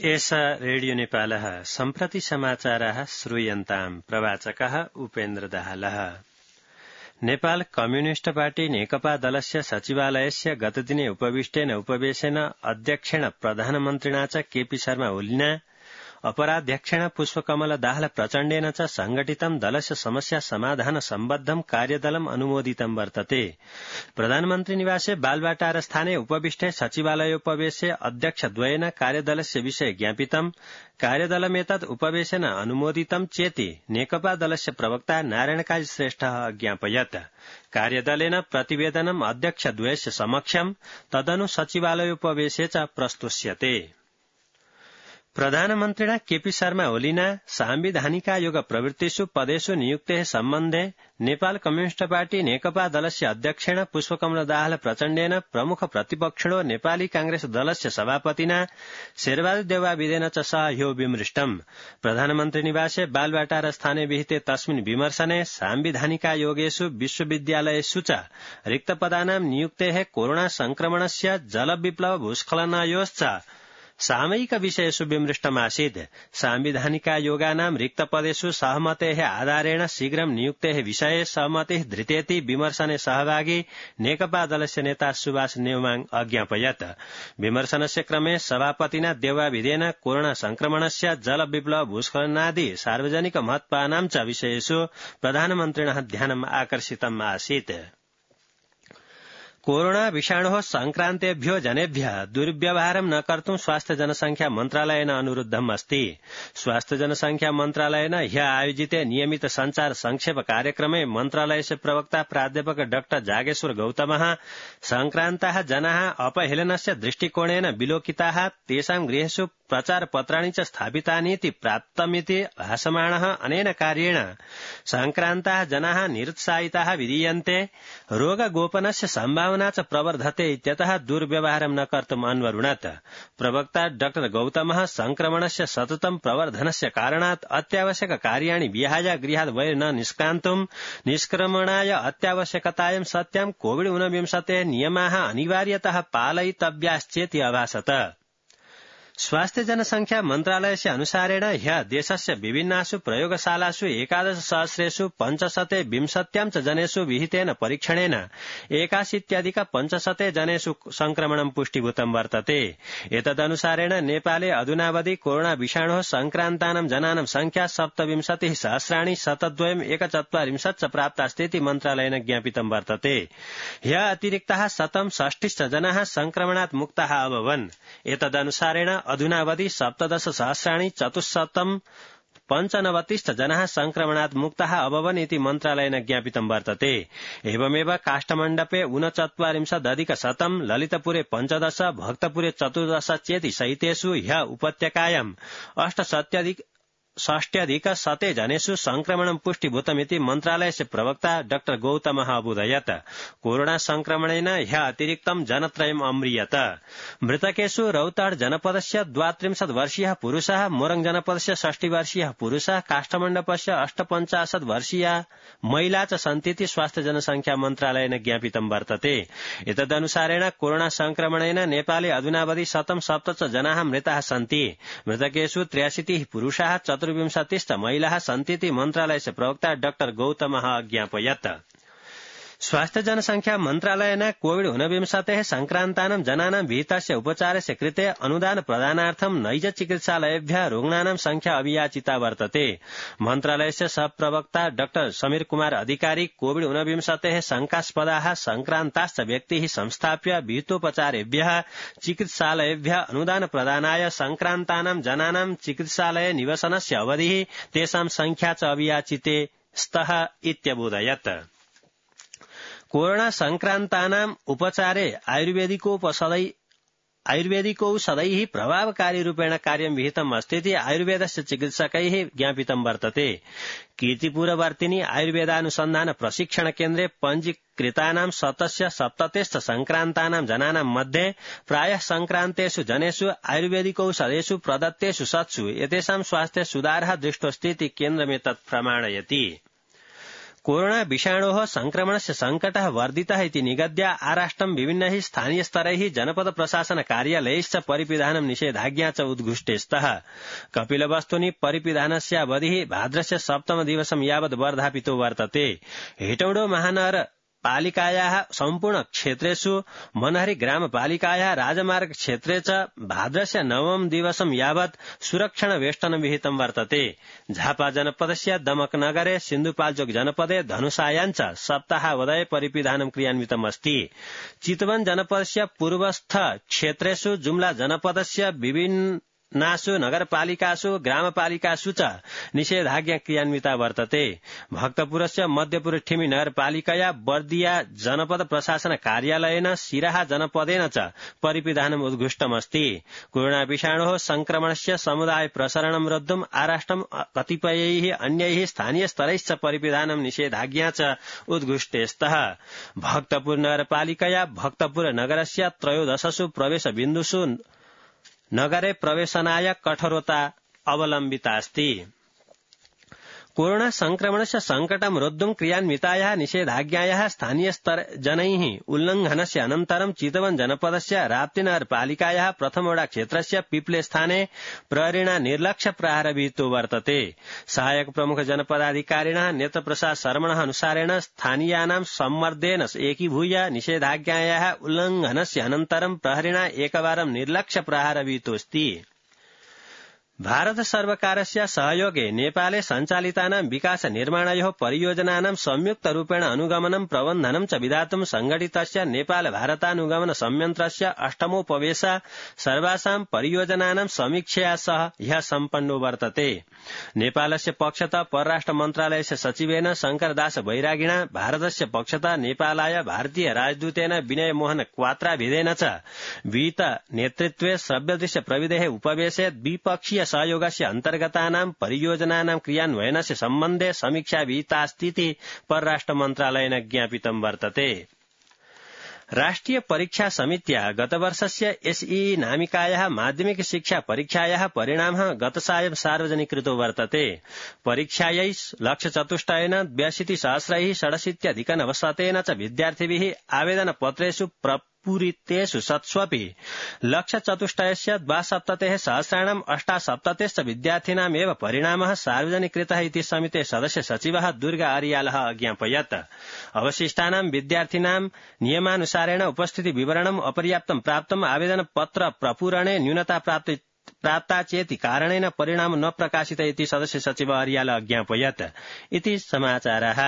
एष रेडियो नेपालः सम्प्रति समाचाराः श्रूयन्ताम् प्रवाचकः उपेन्द्र दाहालः। नेपाल कम्युनिस्ट पार्टी नेकपा दलस्य सचिवालयस्य गतदिने उपविष्टेन उपवेशेन अध्यक्षेण प्रधानमन्त्रिणा च केपी शर्मा ओलिना अपराध्यक्षेण पुष्पकमल दाहाल प्रचण्डेन च संघटितं दलस्य समस्या समाधान सम्बद्धं कार्यदलम् अनुमोदितं वर्तते। प्रधानमन्त्री निवासे बालवाटार स्थाने उपविष्टे सचिवालयोपवेशे अध्यक्षद्वयेन कार्यदलस्य विषये ज्ञापितम्। कार्यदलमेतत् उपवेशेन अनुमोदितं चेति नेकपा दलस्य प्रवक्ता नारायणकाजी श्रेष्ठः अज्ञापयत्। कार्यदलेन प्रतिवेदनम् अध्यक्षद्वयस्य समक्षम् तदनु सचिवालयोपवेशे च प्रस्तुष्यते। प्रधानमन्त्रिणा केपी शर्मा ओलिना सांविधानिकायोग प्रवृत्तिषु पदेषु नियुक्तेः सम्बन्धे नेपाल कम्युनिस्ट पार्टी नेकपा दलस्य अध्यक्षेण पुष्पकमल दाहाल प्रचण्डेन प्रमुख प्रतिपक्षिणो नेपाली कांग्रेस दलस्य सभापतिना शेरबहादुर देउवाविदेन च सह ह्यो विमृष्टम्। प्रधानमन्त्री निवासे बालवाटार स्थाने विहिते तस्मिन् विमर्शने सांविधानिकायोगेषु विश्वविद्यालयेषु च रिक्तपदानां नियुक्तेः कोरोना संक्रमणस्य जलविप्लव भूस्खलनयोश्च सामयिक विषयेषु विमृष्टमासीत्। सांविधानिकायोगानां रिक्तपदेषु सहमतेः आधारेण शीघ्रं नियुक्तेः विषये सहमतिः धृतेति विमर्शने सहभागी नेकपा दलस्य नेता सुभाष नेउमाङ अज्ञापयत्। विमर्शनस्य क्रमे सभापतिना देउवाविदेन कोरोना संक्रमणस्य जलविप्लव भूस्खलनादि सार्वजनिक महत्त्वानां च विषयेषु प्रधानमन्त्रिणः ध्यानम् आकर्षितम् आसीत्। कोरोना विषाणोः संक्रान्तेभ्यो जनेभ्यः दुर्व्यवहारं न कर्तुं स्वास्थ्य जनसंख्या मन्त्रालयेन अनुरुद्धम् अस्ति। स्वास्थ्य जनसंख्या मन्त्रालयेन ह्यः आयोजिते नियमित संचार संक्षेप कार्यक्रमे मन्त्रालयस्य प्रवक्ता प्राध्यापक डाक्टर जागेश्वर गौतमः संक्रान्ताः जनाः अपहेलनस्य दृष्टिकोणेन विलोकिताः तेषां गृहेषु प्रचारपत्राणि च स्थापितानीति प्राप्तमिति भासमाणः अनेन कार्येण संक्रान्ताः जनाः निरुत्साहिताः विधीयन्ते। रोगगोपनस्य सम्भावना च प्रवर्धते इत्यतः दुर्व्यवहारं न कर्तुम् अन्वरुणत्। प्रवक्ता डाक्टर गौतमः संक्रमणस्य सततं प्रवर्धनस्य कारणात् अत्यावश्यक कार्याणि विहाय गृहात् बहिर् न निष्क्रान्तुम् निष्क्रमणाय अत्यावश्यकतायां सत्यां कोविड-19 नियमाः अनिवार्यतः पालयितव्याश्चेति अभासत। स्वास्थ्य जनसंख्या मन्त्रालयस्य अनुसारेण ह्यः देशस्य विभिन्नासु प्रयोगशालासु 11,000 520 च जनेषु विहितेन परीक्षणेन 81,500 जनेषु संक्रमणं पुष्टिभूतं वर्तते। एतदनुसारेण नेपाले अधुनावधि कोरोना विषाणोः संक्रान्तानां जनानां संख्या 27,702,140 च प्राप्तास्तीति मन्त्रालयेन ज्ञापितं वर्तते। ह्यः अतिरिक्ताः 160 जनाः संक्रमणात् मुक्ताः अभवन्। एतदनुसारेण अधुनावधि 17,495 जनाः संक्रमणात् मुक्ताः अभवन् इति मन्त्रालयेन ज्ञापितं वर्तते। एवमेव काष्ठमण्डपे 39,100 ललितपुरे 15 भक्तपुरे 14 चेति सहितेषु ह्यः उपत्यकायां 68,100 जनेषु संक्रमणं पुष्टिभूतमिति मन्त्रालयस्य प्रवक्ता डाक्टर गौतमः अबोधयत्। कोरोना संक्रमणेन ह्यः अतिरिक्तं जनत्रयम् अम्रियत। मृतकेषु रौतहट जनपदस्य 32 वर्षीयः पुरुषः, मोरङ जनपदस्य 60 वर्षीयः पुरुषः, काष्ठमण्डपस्य 58 वर्षीया महिला च सन्तीति स्वास्थ्य जनसंख्या मन्त्रालयेन ज्ञापितं वर्तते। एतदनुसारेण कोरोना संक्रमणेन नेपाले अधुनावधि 107 जनाः मृताः सन्ति। मृतकेषु 83 पुरुषाः 24 महिलाः सन्तीति मन्त्रालयस्य प्रवक्ता डाक्टर गौतमः अज्ञापयत्। स्वास्थ्य जनसंख्या मन्त्रालयेन कोविड-19 संक्रान्तानां जनानां विहितस्य उपचारस्य कृते अनुदान प्रदानार्थं नैज चिकित्सालयेभ्यः रुग्णानां संख्या अभियाचिता वर्तते। मन्त्रालयस्य सहप्रवक्ता डाक्टर समीर कुमार अधिकारी कोविड-19 शंकास्पदाः संक्रान्ताश्च व्यक्तिः संस्थाप्य विहितोपचारेभ्यः चिकित्सालयेभ्यः अनुदान प्रदानाय संक्रान्तानां जनानां चिकित्सालये निवसनस्य अवधिः तेषां संख्या च अभियाचिते स्तः इत्यबोधयत्। कोरोना संक्रान्तानाम् उपचारे आयुर्वेदिकौषधैः प्रभावकारी रूपेण कार्यं विहितम् अस्तीति आयुर्वेदस्य चिकित्सकैः ज्ञापितं वर्तते। कीर्तिपुरवर्तिनी आयुर्वेदानुसन्धान प्रशिक्षण केन्द्रे पञ्जीकृतानां 77 संक्रान्तानां जनानां मध्ये प्रायः संक्रान्तेषु जनेषु आयुर्वेदिकौषधेषु प्रदत्तेषु सत्सु एतेषां स्वास्थ्य सुधारः दृष्टोऽस्तीति केन्द्रमेतत् प्रमाणयति। कोरोना विषाणोः संक्रमणस्य संकटः वर्धितः इति निगद्य आराष्ट्रं विभिन्नैः स्थानीयस्तरैः जनपद प्रशासन कार्यालयैश्च परिपिधानं निषेधाज्ञा च उद्घुष्टे स्तः कपिलवस्तुनि परिपिधानस्य अवधिः भाद्रस्य 7 दिवसं यावत् वर्धापितो वर्तते हेटौडो महानगर पालिकायाः सम्पूर्ण क्षेत्रेषु मनहरी ग्रामपालिकायाः राजमार्ग क्षेत्रे च भाद्रस्य 9 दिवसं यावत् सुरक्षण वेष्टनं विहितं वर्तते झापा जनपदस्य दमकनगरे सिन्धुपाल्चोक जनपदे धनुषायां च सप्ताहावधये परिपिधानं क्रियान्वितमस्ति चितवन जनपदस्य पूर्वस्थ क्षेत्रेषु जुम्ला जनपदस्य विभिन्नासु नगरपालिकासु ग्रामपालिकासु च निषेधाज्ञा क्रियान्विता वर्तते भक्तपुरस्य मध्यपुर ठिमी नगरपालिकया बर्दिया जनपद प्रशासन कार्यालयेन सिराहा जनपदेन च परिपिधानम् उद्घुष्टमस्ति कोरोना विषाणोः संक्रमणस्य समुदाय प्रसरणं रोद्धुम् आराष्ट्रं कतिपयैः अन्यैः स्थानीयस्तरैश्च परिपिधानं निषेधाज्ञा च उद्घुष्टे स्तः भक्तपुर नगरपालिकया भक्तपुर नगरस्य 13 प्रवेशबिन्दुषु नगरे प्रवेशनाय कठोरता अवलम्बिता अस्ति कोरोना संक्रमणस्य संकटं रोद्धुं क्रियान्वितायाः निषेधाज्ञायाः स्थानीयस्तरजनैः उल्लंघनस्य अनन्तरं चितवन जनपदस्य राप्तीनगर पालिकायाः प्रथमोडा क्षेत्रस्य पिप्ले स्थाने प्रहरिणा निर्लक्ष्य प्रहार विहितो वर्तते सहायक प्रमुख जनपदाधिकारिणः नेत्रप्रसाद शर्मणः अनुसारेण स्थानीयानां सम्मर्देन एकीभूय निषेधाज्ञायाः उल्लंघनस्य अनन्तरं प्रहरिणा एकवारं निर्लक्ष्य प्रहार विहितोऽस्ति भारत सर्वकारस्य सहयोगे नेपाले सञ्चालितानां विकास निर्माणयोः परियोजनानां संयुक्तरूपेण अनुगमनं प्रबन्धनं च विधातुं संघटितस्य नेपाल भारतानुगमन संयन्त्रस्य 8मोपवेश सर्वासां परियोजनानां समीक्षया सह ह्यः सम्पन्नो वर्तते नेपालस्य पक्षतः परराष्ट्र मन्त्रालयस्य सचिवेन शंकरदास बैरागिणा भारतस्य पक्षतः नेपालाय भारतीय राजदूतेन विनय मोहन क्वात्राभिधेन च विहित नेतृत्वे श्रव्यदृश्य प्रविधेः उपवेशे द्विपक्षीय सहयोगस्य अन्तर्गतानां परियोजनानां क्रियान्वयनस्य सम्बन्धे समीक्षा विहितास्तीति परराष्ट्र मन्त्रालयेन ज्ञापितं वर्तते राष्ट्रिय परीक्षा समित्या गतवर्षस्य एसईई नामिकायाः माध्यमिक शिक्षा परीक्षायाः परिणामः गतसायं सार्वजनिकृतो वर्तते परीक्षायै लक्ष्यचतुष्टयेन 82,067 च विद्यार्थिभिः आवेदनपत्रेषु पूरितेषु सत्स्वपि लक्ष्यचतुष्टयस्य 72,000 विद्यार्थिनामेव परिणामः सार्वजनिकृतः इति समिते सदस्य सचिवः दुर्गा आर्यालः अज्ञापयत् अवशिष्टानां विद्यार्थिनां नियमानुसारेण उपस्थिति विवरणम् अपर्याप्तं प्राप्तम् आवेदनपत्र प्रपूरणे न्यूनता प्राप्ता चेति कारणेन परिणाम न प्रकाशित इति सदस्य सचिव आर्यालः अज्ञापयत् इति समाचारः।